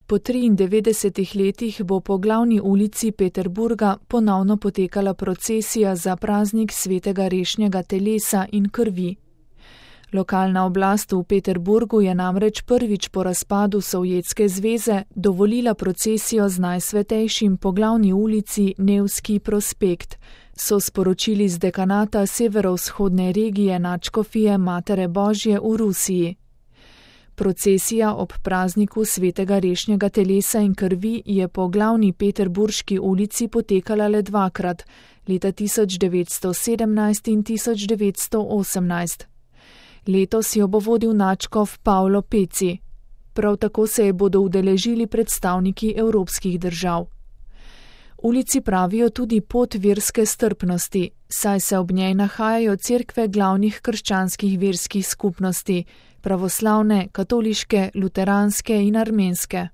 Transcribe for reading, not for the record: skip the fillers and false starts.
Po 93 letih bo po glavni ulici Peterburga ponovno potekala procesija za praznik svetega rešnjega telesa in krvi. Lokalna oblast v Peterburgu je namreč prvič po razpadu Sovjetske zveze dovolila procesijo z najsvetejšim po glavni ulici Nevski prospekt, so sporočili z dekanata severovzhodne regije nadškofije Matere Božje v Rusiji. Procesija ob prazniku svetega rešnjega telesa in krvi je po glavni peterburški ulici potekala le dvakrat, leta 1917 in 1918. Letos jo bo vodil nadškof Pavlo Peci. Prav tako se je bodo udeležili predstavniki evropskih držav. Ulici pravijo tudi pot verske strpnosti, saj se ob njej nahajajo cerkve glavnih krščanskih verskih skupnosti, pravoslavne, katoliške, luteranske in armenske.